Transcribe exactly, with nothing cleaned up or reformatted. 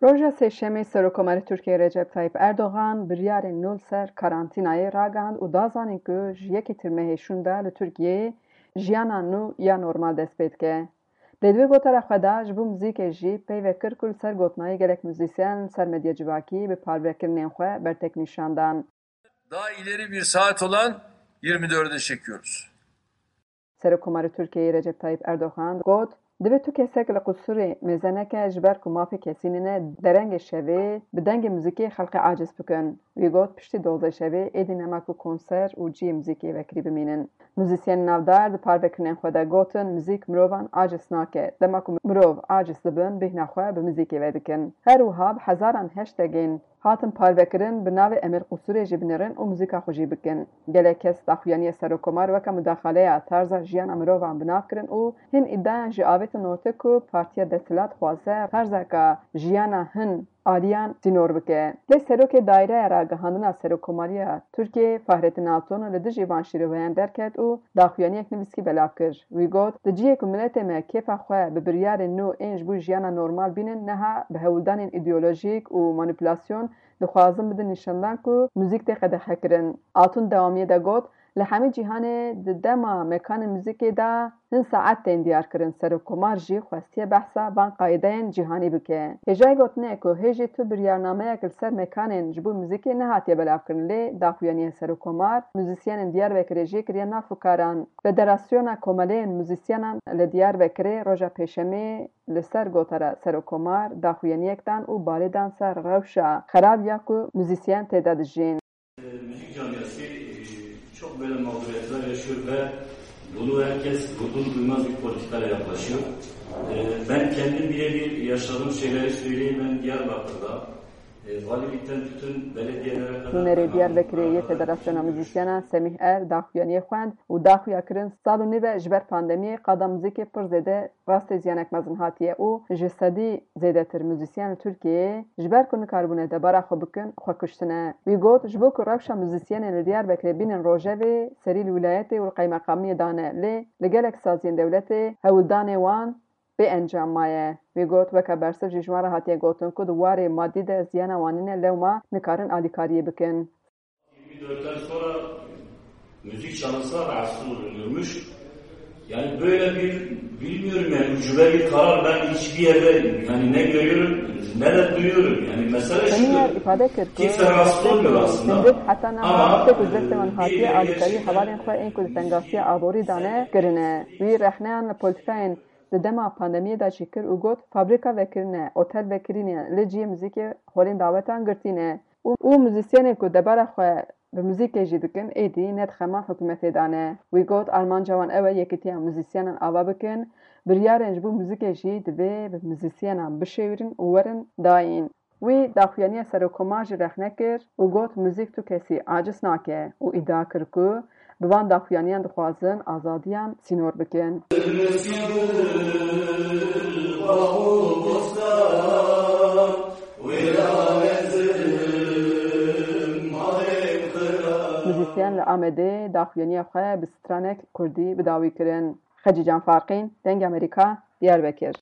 Roja Sêşemê Serokkomarê Tirkiyeyê Recep Tayyip Erdogan biryarên nû li ser karantînayê ragihand û da zanîn ku ji yekê Tirmehê şûnde li Tirkiyeyê jiyana nû ya normal dest pê dike. Lê di wê gotara xwe de ji bo muzîkê jî peyve kir ku li ser gotinayê gelek muzîsyen li ser medya civakî bi parvekirinên xwe bertek nîşan dan. Daha ileri bir saat olan yirmi dörde çekiyoruz. Serokkomarê Tirkiyeyê Recep Tayyip Erdogan got, divê tu kesek li qusûrê mêze neke, ji ber ku mafê kesî nîne, derengê şevê bi dengê muzîkê xelkê aciz bikin. Wî got, piştî dozdeh şevê êdî nema ku konser û cihê muzîkê vekirî bimînin. Muzîsyenên navdar di parvekirinên xwe de gotin, muzîk mirovan aciz nake. Dema ku mirov aciz dibin, bêhna xwe bi muzîkê vedikin. Her wiha bi hezaran hashtagên hatin parvekirin, bi navê Em ê li qusûrê jî binêrin û muzîka xwe jî bikin. Gelek kes daxuyaniya serokkomar weke mudaxaleya tarza jiyana mirovan bi nav kirin û hin îdiayan jî avêtin ortê ku partiya desthilat dixwaze tarzeke jiyana hin aliyan sînor bike. Lê serokê Daireya Ragihandina Serokkomariya Tirkiyeyê Fahrettin Altun li dijî van şîroveyan derket û daxuyaniyek nivîskî belav kir. Wî got, di cihê ku miletê me kêfa xwe bi biryarên nû ên ji bo jiyana normal bînin, niha bi hewldanên îdeolojîk û manîpulasyon dixwazin bidin nîşandan ku muzîk tê qedexekirin. Altun dewamiyê de got, li hemî cîhanê di dema mekanên muzîkê de hin saet tên diyarkirin. Serokkomar jî xwestiye behsa van qaîdeyên cîhanî bike. Hêjayî gotinê ye ku hê jî tu biryarnameyek li ser mekanên ji bo muzîkê nehatiye belavkirin, lê daxuyaniya Serokkomar muzîsyenên Diyarbekirê jî kiriye nav fikaran. Federasyona Komeleyên Muzîsyenan li Diyarbekirê roja Pêşemê li ser gotara Serokkomar daxuyaniyek dan û balê dan ser rewşa xerab ya ku muzîsyen tê de dijîn. Müzik camiası e, çok böyle mağduriyetler yaşıyor ve bunu herkes vurdum duymaz bir politikayla yaklaşıyor. E, Ben kendim birebir yaşadığım şeyleri söyleyeyim. Ben Diyarbakır'da e, valilikten tutun belediyelere kadar Nûnerê Diyarbekirê yê Federasyona Muzîsyenan Semîh Er daxuyaniyê xwend û daxuya kirin sal û nîv e ji ber pandemiyê qada muzîkê pir zêde rastê ziyanek mezin hatiye û ji sedî zêdetir muzîsyen li Tirkiyeyê ji ber ku nikaribûne debara xwe bikin, xwe kuştine. Wî got, ji bo ku rewşa muzîsyenên li Diyarbekirê bînin rojevê, serî li wîlayetê û li qeymeqamiyê dane, lê li gelek saziyên dewletê hewldanê wan bê encam maye. Wî got, weke bersiv jî ji wan re hatiye gotin ku di warê madî de ziyana wan nîne, lewma nikarin alîkariyê bikin. Yirmi dörtten sonra müzik çalınsa rahatsız olunurmuş. Yani böyle bir bilmiyorum yani ucube bir karar ben hiçbir yerde yani ne görüyorum ne de duyuyorum. Yani mesele Semîher şudur. Îfade kir ku Kimse rahatsız olmuyor aslında. Hindik heta niha Ama, tiştek ku ji destê wan e, hatiye bir alîkarî gerçekten hevalên xwe ên ku di tengasiya aborî dane kirine. Wî rexneyan li polîtîkayên di dema pandemiyê de jî kir û got, fabrîka vekirine, otel vekirîne, li cihê muzîkê holên dawetan girtî ne. û, û muzîsyenên ku debara xwe bi muzîkê jî dikin, êdî ne di xema hikûmetê de ne. Wî got, armanca wan ew e yekîtiya muzîsyenan ava bikin, biryarên ji bo muzîkê jî divê bi muzîsyenan bişêwirin û werin dayîn. Wî daxuyaniya Serokkomar jî rexne kir û got, muzîk tu kesî aciz nake û îdia kir ku bi van daxuyaniyan dixwazin azadiyan sînor bikin. Muzîsyen li Amedê daxuyaniya xwe bi stranek kurdî bi dawî kirin. Xecî Can Farqîn, Dengê Amerîka, Diyarbekir.